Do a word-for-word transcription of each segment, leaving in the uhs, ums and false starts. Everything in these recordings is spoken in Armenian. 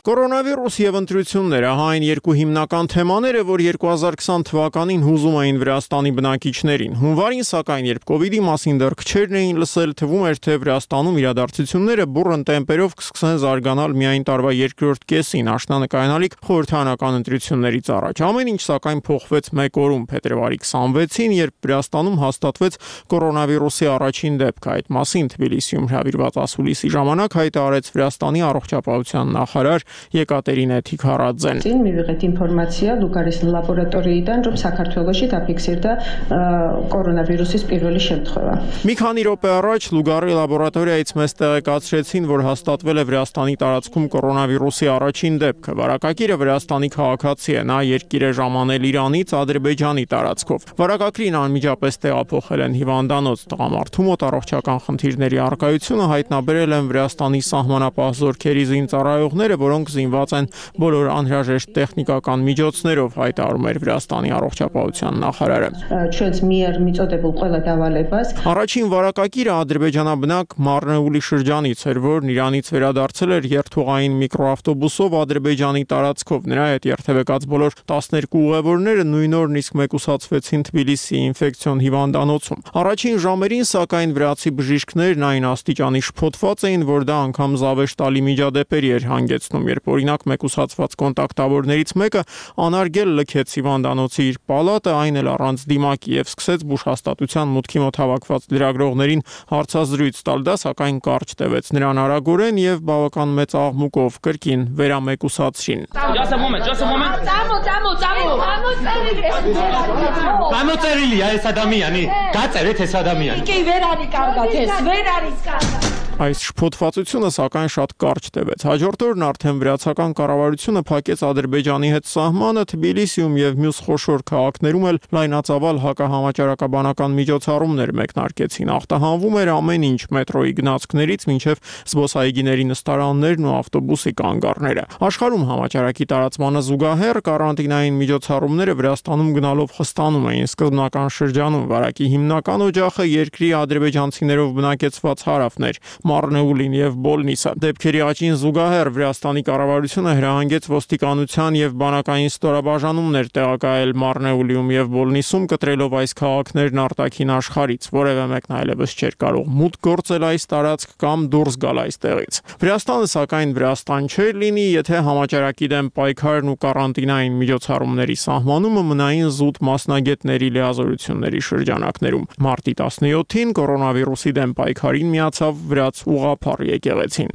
Կորոնավիրուս եւ ընտրությունները հայն երկու հիմնական թեմաները, որ երկու հազար քսան թվականին հուզում էին Վրաստանի բնակիչներին։ Հունվարին, սակայն, երբ կովիդի մասին դեռ քչերն էին լսել, թվում էր, թե Վրաստանում իրադարձությունները բուռն տեմպերով կսկսեն զարգանալ միայն տարվա երկրորդ կեսին, աշնանկայանալիք խորհրդարանական ընտրություններից առաջ։ Ամեն ինչ, սակայն, փոխվեց մեկ օրում, փետրվարի քսանվեցին, երբ Վրաստանում հաստատվեց կորոնավիրուսի առաջին դեպքը։ Այդ մասին Թբիլիսիում հրավիրված ասուլիսի ժամանակ հայտարարեց Վրաստանի առողջապահության նախարար Եկատերինա Թիքարաձեն. Միվեղետ ինֆորմացիա Լուկարիս լաբորատորիიდან, რომ საქართველოში դափիքսիրდა կորոնավիրուսის პირველი შემთხვევა։ Մի քանի րոպե առաջ Լուգարի լաբորատորիայից մեզ տեղեկացրեցին, որ հաստատվել է Վրաստանի տարածքում կորոնավիրուսի առաջին դեպքը։ Վարակագիրը Վրաստանի քաղաքացի է, նա երկիր է ժամանել Իրանից Ադրբեջանի տարածքով։ Վարակագրին անմիջապես տեղափոխել են հիվանդանոց, տղամարդու մոտ առողջական խնդիրների առկայությունը հայտնաբերել են Վրաստանի սահմանապահ զորքերի զինծառայողները, որոնք զինված են բոլոր անհրաժեշտ տեխնիկական միջոցներով, հայտարարում էր Վրաստանի առողջապահության նախարարը։ Չենց միեր միծոդեբულ ყველა დავალებას Առաջին վարակագիրը ադրբեջանաբնակ Մարնեուլի շրջանից էր, որն Իրանից վերադարձել էր երթուղային միկրոավտոբուսով Ադրբեջանի տարածքով։ Նրա հետ երթևեկած բոլոր տասներկու ուղևորները նույն օրն իսկ մեկուսացվեցին Թբիլիսի ինֆեկցիոն հիվանդանոցում։ Առաջին ժամերին, սակայն, վրացի բժիշկներն այն աստիճանի շփոթված էին, որ դա անգամ զավեշ տալի միջադեպերի էր հանգեցնում, երբ օրինակ մեկուսացված կոնտակտավորներից մեկը անարգել լքեց հիվանդանոցի իր պալատը, այն էլ առանց դիմակի, եւ սկսեց բուժհաստատության մուտքի մոտ հավաքված լրագրողներին հարցազրույց տալ։ Դա սակայն կարճ տևեց, նրան արագորեն եւ բավական մեծ աղմուկով կրկին վերամեկուսացրին։ Այս շփոթվածությունը սակայն շատ կարճ տևեց։ Հաջորդ օրն արդեն վրացական կառավարությունը փակեց Ադրբեջանի հետ սահմանը, Թբիլիսիում եւ մյուս խոշոր քաղաքներում էլ լայնածավալ հակահամաճարակաբանական միջոցառումներ մեկնարկեցին։ Ախտահանվում էր ամեն ինչ՝ մետրոյի գնացքներից մինչև զբոսայգիների նստարաններն ու ավտոբուսի կանգառները։ Աշխարհում համաճարակի տարածմանը զուգահեռ կարանտինային միջոցառումները Վրաստանում գնալով խստանում էին սկզբնական շրջանում։ Վարակի հիմնական օջախը երկրի ադրբեջանցիներով բնակեցված հարավն էր՝ Մարնեուլին եւ Բոլնիսը։ Դեպքերի աճին զուգահեռ Վրաստանի կառավարությունը հրահանգեց ոստիկանության եւ բանակային ստորաբաժանումներ տեղակայել Մարնեուլիում եւ Բոլնիսում, կտրելով այս քաղաքներն արտաքին աշխարհից։ Որևէ մեկն այլևս չէր կարող մուտք գործել այս տարածք կամ դուրս գալ այստեղից։ Վրաստանը, սակայն, Վրաստան չէր լինի, եթե համաճարակի դեմ պայքարն ու կարանտինային միջոցառումների սահմանումը մնային զուտ մասնագետների լիազորությունների շրջանակներում։ Մարտի տասնյոթին կորոնավիրուսի դեմ պայքարին միացավ վրաց ուղղափառ եկեղեցին։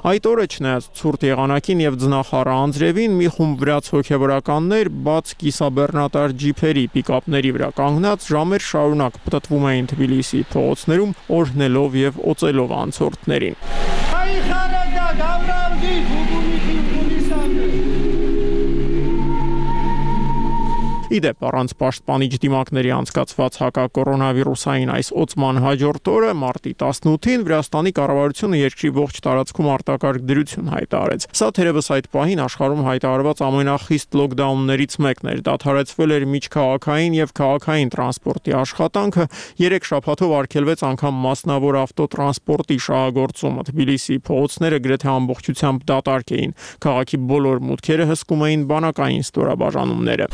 Այդ օրը, չնայած ցուրտ եղանակին եւ ձնախառը անձրևին, մի խումբ վրաց հոգեվորականներ բաց կիսաբեռնատար ջիփերի պիկապների վրա կանգնած ժամեր շարունակ պտտվում էին Թբիլիսի փողոցներում, օրհնելով եւ օծելով անցորդներին։ Իդեպ, առանց պաշտպանիչ դիմակների անցկացված հակակորոնավիրուսային այս օծման հաջորդ օրը, մարտի տասնութին, Վրաստանի կառավարությունը երկրի ողջ տարածքում արտակարգ դրություն հայտարարեց։ Սա թերևս այդ պահին աշխարհում հայտարարված ամենախիստ լոկդաուններից մեկն էր։ Դադարեցվել էր միջքաղաքային եւ քաղաքային տրանսպորտի աշխատանքը, երեք շաբաթով արգելվեց անգամ մասնավոր ավտոտրանսպորտի շահագործումը։ Թբիլիսի փողոցները գրեթե ամբողջությամբ դատարկ էին։ Քաղաքի բոլոր մուտքերը հսկում էին բանակային ստորաբաժանումները։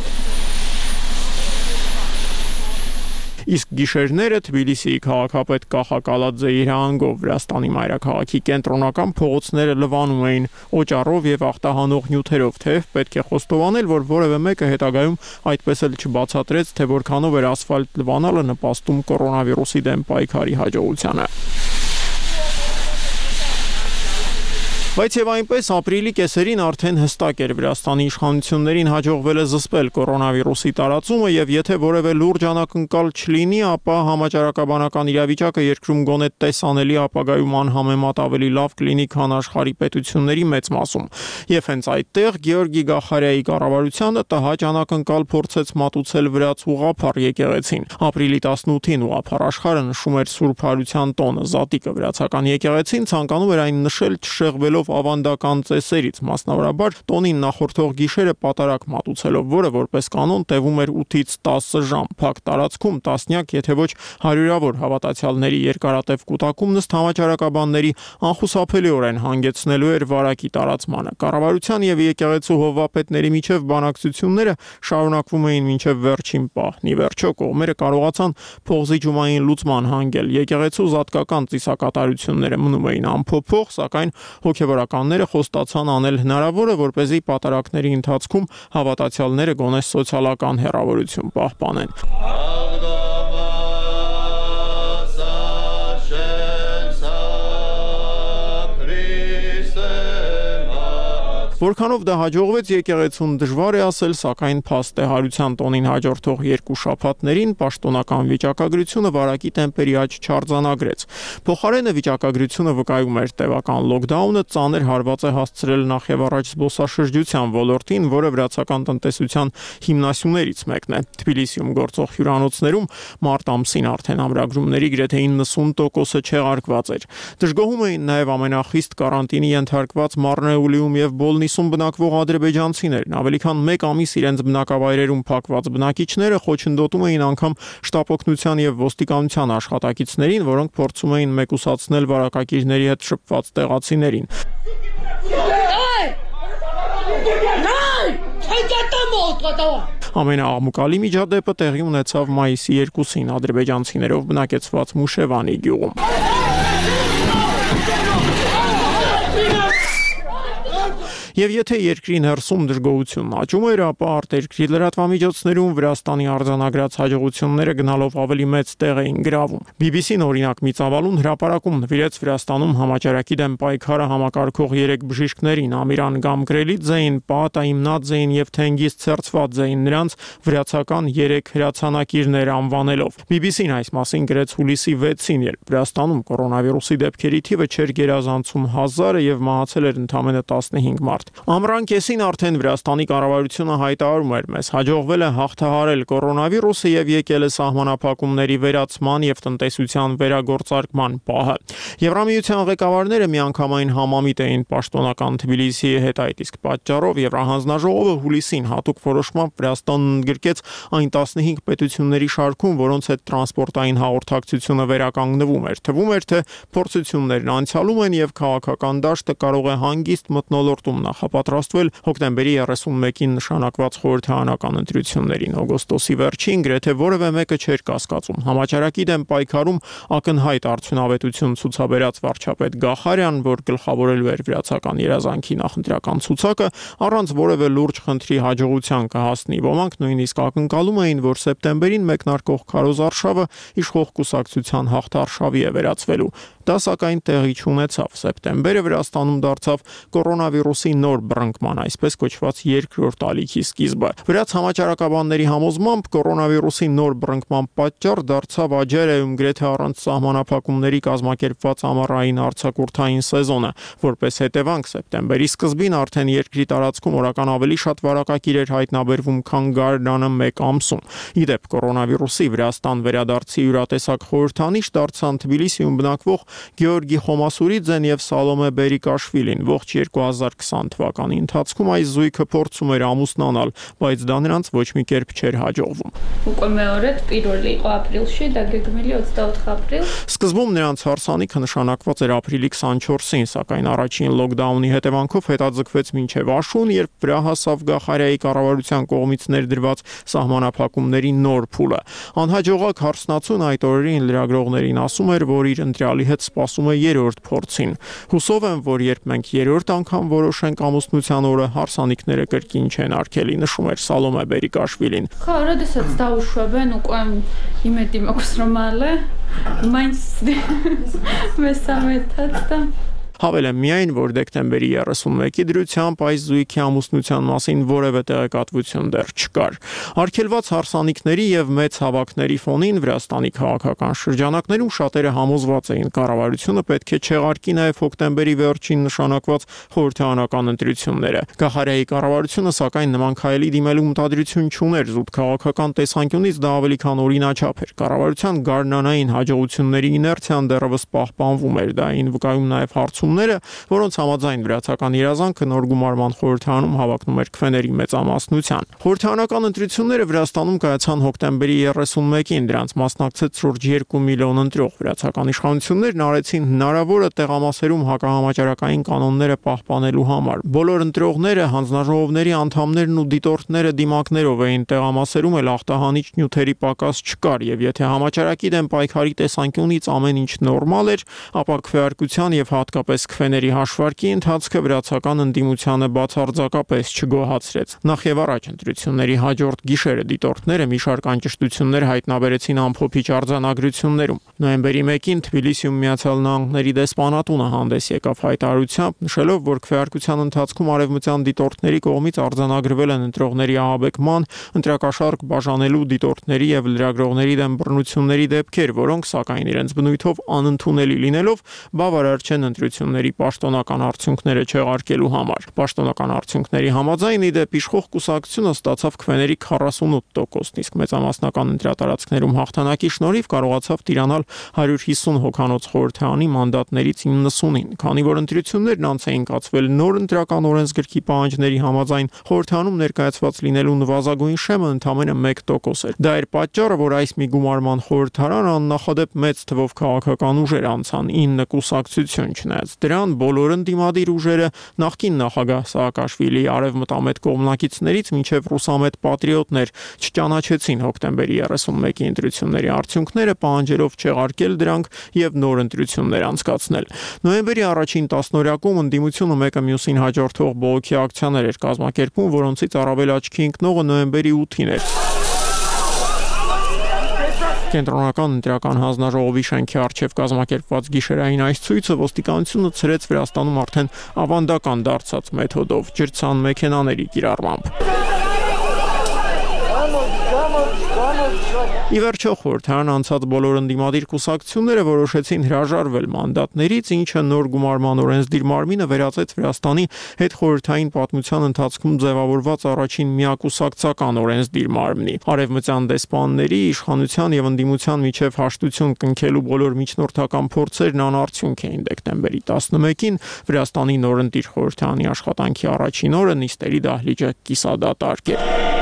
Իսկ գիշերները Թբիլիսիի քաղաքապետ Կախա Կալաձեի հրահանգով Վրաստանի մայրաքաղաքի կենտրոնական փողոցները լվանում էին օճառով եւ ախտահանող նյութերով, թեև պետք է խոստովանել, որ որևէ մեկը հետագայում այդպես էլ չբացատրեց, թե որքանով էր ասֆալտ լվանալը նպաստում կորոնավիրուսի դեմ պայքարի հաջողությանը։ Բայց եւ այնպես ապրիլի կեսերին արդեն հստակ էր Վրաստանի իշխանություններին հաջողվել է զսպել կորոնավիրուսի տարածումը եւ եթե որևէ լուրջ անակնկալ չլինի, ապա համաճարակաբանական իրավիճակը երկրում գոնե տեսանելի ապագայում անհամեմատ ավելի լավ կլինի, քան աշխարհի պետությունների մեծ մասում։ Եվ հենց այդտեղ Գեորգի Գախարյայի կառավարությունը տհաճ անակնկալ փորձեց մատուցել վրաց ուղղափառ եկեղեցին։ Ապրիլի տասնութին ուղղափառ աշխարհը նշում էր Սուրբ Հարության տոնը, Զատիկը։ Վրացական եկեղեցին ցանկանում էր այն նշել չշեղվելով օգտվելով ավանդական ծեսերից, մասնավորաբար տոնին նախորդող գիշերը պատարակ մատուցելով, որը որպես կանոն տևում էր ութից տասը ժամ։ Փակ տարածքում տասնյակ, եթե ոչ հարյուրավոր հավատացյալների երկարատև կուտակումն ըստ համաճարակաբանների անխուսափելիորեն հանգեցնելու էր վարակի տարածմանը։ Կառավարության եւ եկեղեցու հովվապետների միջև բանակցությունները շարունակվում էին մինչև վերջին պահն։ Ի վերջո կողմերը կարողացան փողզիջումային լուծման հանգել։ Եկեղեցու զատկական ծիսակատարությունները մնում էին անփոփոխ, սակայն հոգևորականները խոստացան անել հնարավորը, որպեսզի պատարակների ընթացքում հավատացյալները գոնե սոցիալական հեռավորություն պահպանեն։ Որքանով դա հաջողվեց, եկեղեցուն դժվար է ասել, սակայն փաստ է հարության տոնին հաջորդող երկու շաբաթներին պաշտոնական վիճակագրությունը վարակի տեմպերի աճ չարձանագրեց։ Փոխարենը վիճակագրությունը վկայում էր տևական լոկդաունը ծանր հարված է հասցրել նախևառաջ զբոսաշրջության ոլորտին, որը վրացական տնտեսության հիմնասյուներից մեկն է։ Թբիլիսիում գործող հյուրանոցներում մարտ ամսին արդեն ամրագրումների գրեթե իննսուն տոկոսը չեղարկված էր։ Դժգոհում էին նաև ամենախիստ կարանտինի ենթարկված Մարնեուլիում եւ Բոլնիսում բնակվող ադրբեջանցիներն։ Ավելի քան մեկ ամիս իրենց բնակավայրերում փակված բնակիչները խոչընդոտում էին անգամ շտապօգնության եւ ոստիկանության աշխատակիցներին, որոնք փորձում էին մեկուսացնել վարակագիրների հետ շփված տեղացիներին։ Ամենաաղմուկալի միջադեպը տեղի ունեցավ մայիսի երկուսին ադրբեջանցիներով բնակեցված Մուշևանի գյուղում։ Եվ եթե երկրի ներսում դժգոհությունն աճում էր, ապա արտերկրի լրատվամիջոցներում Վրաստանի արձանագրած հաջողությունները գնալով ավելի մեծ տեղ էին գրավում։ բի բի սին օրինակ մի ծավալուն հրապարակում նվիրեց Վրաստանում համաճարակի դեմ պայքարը համակարգող երեք բժիշկներին՝ Ամիրան Գամգրելիձեին, Պաատա Իմնաձեին եւ Թենգիզ Ցերցվադզեին, նրանց վրացական երեք հրացանակիրներ անվանելով։ բի բի սին այս մասին գրեց հուլիսի վեցին, երբ Վրաստանում կորոնավիրուսի դեպքերի թիվը չէր գերազանցում հազարը եւ մահացել էր ընդամենը տասնհինգ մարդ։ Ամռան կեսին արդեն Վրաստանի կառավարությունը հայտարարում էր մեզ հաջողվել է հաղթահարել կորոնավիրուսը եւ եկել է սահմանափակումների վերացման եւ տնտեսության վերագործարկման պահը։ Եվրամիության ղեկավարները միանգամայն համամիտ էին պաշտոնական Թբիլիսիի հետ, այդ իսկ պատճառով Եվրահանձնաժողովը հուլիսին հատուկ որոշմամբ Վրաստանն ընդգրկեց այն տասնհինգ պետությունների շարքում, որոնց հետ տրանսպորտային հաղորդակցությունը վերականգնվում էր։ Թվում էր, թե փորձություններն անցյալում են եւ քաղաքական դաշտը կարող է հանգիստ մթնոլորտում նախապատրաստվել հոկտեմբերի երեսունմեկին նշանակված խորհրդարանական ընտրություններին։ Օգոստոսի վերջին գրեթե որևէ մեկը չէր կասկածում համաճարակի դեմ պայքարում ակնհայտ արդյունավետություն ցուցաբերած վարչապետ Գախարյան, որ գլխավորելու էր վրացական երազանքի նախընտրական ցուցակը, առանց որևէ լուրջ խնդրի հաջողության կհասնի։ Ոմանք նույնիսկ ակնկալում էին, որ սեպտեմբերին մեկնարկող քարոզարշավը իշխող կուսակցության հաղթարշավի է վերածվելու։ Դա սակայն տեղի չունեցավ։ Սեպտեմբերը Վրաստանում դարձավ կորոնավիրուսի նոր բռնկման, այսպես կոչված երկրորդ ալիքի սկիզբը։ Վրաց համաճարակաբանների համոզմամբ կորոնավիրուսի նոր բռնկման պատճառ դարձավ Աջերայում գրեթե առանց սահմանափակումների կազմակերպված ամառային արձակուրդային սեզոնը։ Որպես հետևանք սեպտեմբերի սկզբին արդեն երկրի տարածքում օրական ավելի շատ վարակագիր էր հայտնաբերվում, քան գարնանը մեկ ամսում։ Ի դեպ կորոնավիրուսի Վրաստան վերադարձի յուրատեսակ խորհրդանիշ դարձան Թբիլիսիում բնակվող Գեորգի Խոմասուրիձեն եւ Սալոմե Բերիկաշվիլին։ Ողջ երկու հազար քսան թվականի ընթացքում այս զույգը փորձում էր ամուսնանալ, բայց դա նրանց ոչ մի կերպ չէր հաջողվում։ Უკვე მეორედ პირველი იყო ապրիլში და გეგმილი ოცდაოთხ ապրիլ։ Սկզբում նրանց հարսանիքը նշանակված էր ապրիլի քսանչորսին, սակայն առաջին լոկդաունի հետևանքով հետաձգվեց մինչև աշուն, երբ վրա հասավ Գախարյայի կառավարության կողմից ներդրված սահմանափակումների նոր փուլը։ Անհաջողակ հարսնացուն այդ օրերին լրագրողներին ասում էր, որ իր ընտրյալի հետ սպասում է երրորդ փորձին։ Հուսով եմ, որ երբ մենք երրորդ անգամ որոշենք ամուսնության օրը, հարսանիքները կրկին չեն արգելի, նշում էր Սալոմե Բերիկաշվիլին։ Խա, როდესაც დაუშვებენ, უკვე იმედი მაქვს რომ ale, მაინც მესამედაც და Հավել եմ միայն, որ դեկտեմբերի երեսունմեկի դրությամբ այս զույգի ամուսնության մասին որևէ տեղեկատվություն դեռ չկար։ Արգելված հարսանիքների եւ մեծ հավաքների ֆոնին Վրաստանի քաղաքական շրջանակներում շատերը համոզված էին կառավարությունը պետք է չեղարկի նաեւ հոկտեմբերի վերջին նշանակված խորհրդարանական ընտրությունները։ Գախարյայի կառավարությունը սակայն նման քայլի դիմելու մտադրություն չուներ, զուտ քաղաքական տեսանկյունից դա ավելի քան օրինաչափ էր։ Կառավարության գարնանային հաջողությունների իներցիան դեռևս պահպանվում էր, դա այն վկայում նաեւ հարցում ընտրությունները, որոնց համաձայն վրացական երազանքը նոր գումարման խորհրդարանում հավակնում էր քվեների մեծամասնության։ Խորհրդարանական ընտրությունները Վրաստանում կայացան հոկտեմբերի երեսունմեկին, դրանց մասնակցեց շուրջ երկու միլիոն ընտրող։ Վրացական իշխանություններն արեցին հնարավորը տեղամասերում հակահամաճարակային կանոնները պահպանելու համար։ Բոլոր ընտրողները, հանձնաժողովների անդամներն ու դիտորդները դիմակներով էին, տեղամասերում էլ ախտահանիչ նյութերի պակաս չկար, եւ եթե համաճարակի դեմ պայքարի տեսանկյունից ամեն ինչ նորմալ էր, ապա քվեարկության եւ հատկապես քվեների հաշվարկի ընթացքը վրացական ընդդիմությանը բացարձակապես չգոհացրեց։ Նախ եւ առաջ ընտրությունների հաջորդ գիշերը դիտորդները մի շարք անճշտություններ հայտնաբերեցին ամփոփիչ արձանագրություններում։ Նոյեմբերի մեկին Թբիլիսիում Միացյալ Նահանգների դեսպանատունը հանդես եկավ հայտարարությամբ, նշելով, որ քվեարկության ընթացքում արևմտյան դիտորդների կողմից արձանագրվել են ընտրողների ահաբեկման, ընտրակաշառք բաժանելու, դիտորդների եւ լրագրողների դեմ բռնությունների դեպքեր, որոնք սակայն իրենց բնույթով անընդունելի լինելով բավարար չեն ընտրությունների պաշտոնական արդյունքները չեղարկելու համար։ Պաշտոնական արդյունքների համաձայն ի դեպ իշխող կուսակցությունը ստացավ քվեների քառասունութ տոկոսն, իսկ մեծամասնական ընտրատարածքներում հաղթանակի շնորհիվ կարողացավ տիրանալ հարյուր հիսուն հոգանոց խորհրդարանի մանդատներից իննսունին։ Քանի որ ընտրություններն անց էին կացվել նոր ընտրական օրենսգրքի պահանջների համաձայն, խորհրդարանում ներկայացված լինելու նվազագույն շեմը ընդամենը մեկ տոկոս էր։ Դա էր պատճառը, որ այս մի գումարման խորհրդարան աննախադեպ մեծ թվով քաղաքական ուժեր անցան, ինը կուսակցություն, չնայած դրան բոլոր ընդդիմադիր ուժերը նախկին նախագահ Սաակաշվիլիի արևմտամետ կողմնակիցներից մինչև ռուսամետ պատրիոտներ չճանաչեցին հոկտեմբերի երեսունմեկի ընտրությունների արդյունքները, պահանջելով չեղարկել դրանք եւ նոր ընտրություններ անցկացնել։ Նոյեմբերի առաջին տասնօրյակում ընդդիմությունը մեկը մյուսին հաջորդող բողոքի ակցիաներ էր կազմակերպում, որոնցից առավել աչքի ընկնողը նոյեմբերի ութին էր։ Կենտրոնական ընտրական հանձնաժողովի շենքի առջև կազմակերպված գիշերային այս ցույցը ոստիկանությունը ցրեց Վրաստանում արդեն ավանդական դարձած մեթոդով՝ ջրցան մեքենաների կիրառմամբ։ Ի վերջո խորհրդարան անցած բոլոր ընդդիմադիր կուսակցությունները որոշեցին հրաժարվել մանդատներից, ինչը նոր գումարման օրենսդիր մարմինը վերածեց Վրաստանի հետխորհրդային պատմության ընթացքում ձևավորված առաջին միակուսակցական օրենսդիր մարմնի։ Արևմտյան դեսպանների, իշխանության եւ ընդդիմության միջև հաշտություն կնքելու բոլոր միջնորդական փորձերն անարդյունք էին։ Դեկտեմբերի տասնմեկին Վրաստանի նորընտիր խորհրդարանի աշխատանքի առաջին օրը նիստերի դահլիճը կիսադատարկ էր։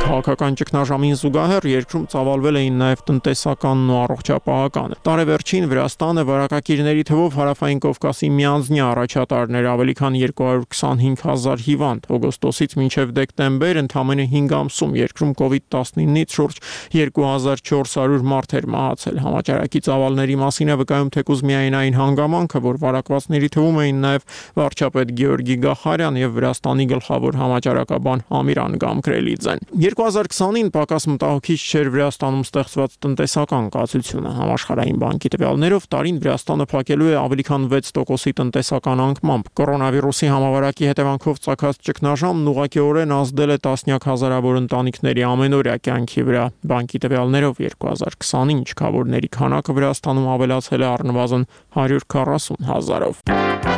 Քաղաքական ճգնաժամին զուգահեռ երկրում ծավալվել էին նաև տնտեսականն ու առողջապահականը։ Տարեվերջին Վրաստանը վարակակիրների թվով Հարավային Կովկասի միանձնյա առաջատարներ ավելի քան երկու հարյուր քսանհինգ հազար հիվանդ։ Օգոստոսից մինչև դեկտեմբեր ընդամենը հինգ ամսում երկրում կովիդ տասնինից շուրջ երկու հազար չորս հարյուր մարդ էր մահացել։ Համաճարակի ծավալների մասին է վկայում թեկուզ միայն այն հանգամանքը, որ վարակվածների թվում էին նաև վարչապետ Գեորգի Գախարյան եւ Վրաստանի գլխավոր համաճարակաբան Ամիրան Գամկրելիձեն։ երկու հազար քսանին պակաս մտահոգիչ չէր Վրաստանում ստեղծված տնտեսական կացությունը։ Համաշխարհային բանկի տվյալներով տարին Վրաստանը փակելու է ավելի քան վեց տոկոսի տնտեսական անկմամբ։ Կորոնավիրուսի համավարակի հետևանքով ծագած ճգնաժամն ուղղակիորեն ազդել է տասնյակ հազարավոր ընտանիքների ամենօրյա կյանքի վրա։ Բանկի տվյալներով երկու հազար քսանին չքավորների քանակը Վրաստանում ավելացել է առնվազն հարյուր քառասուն հազարով։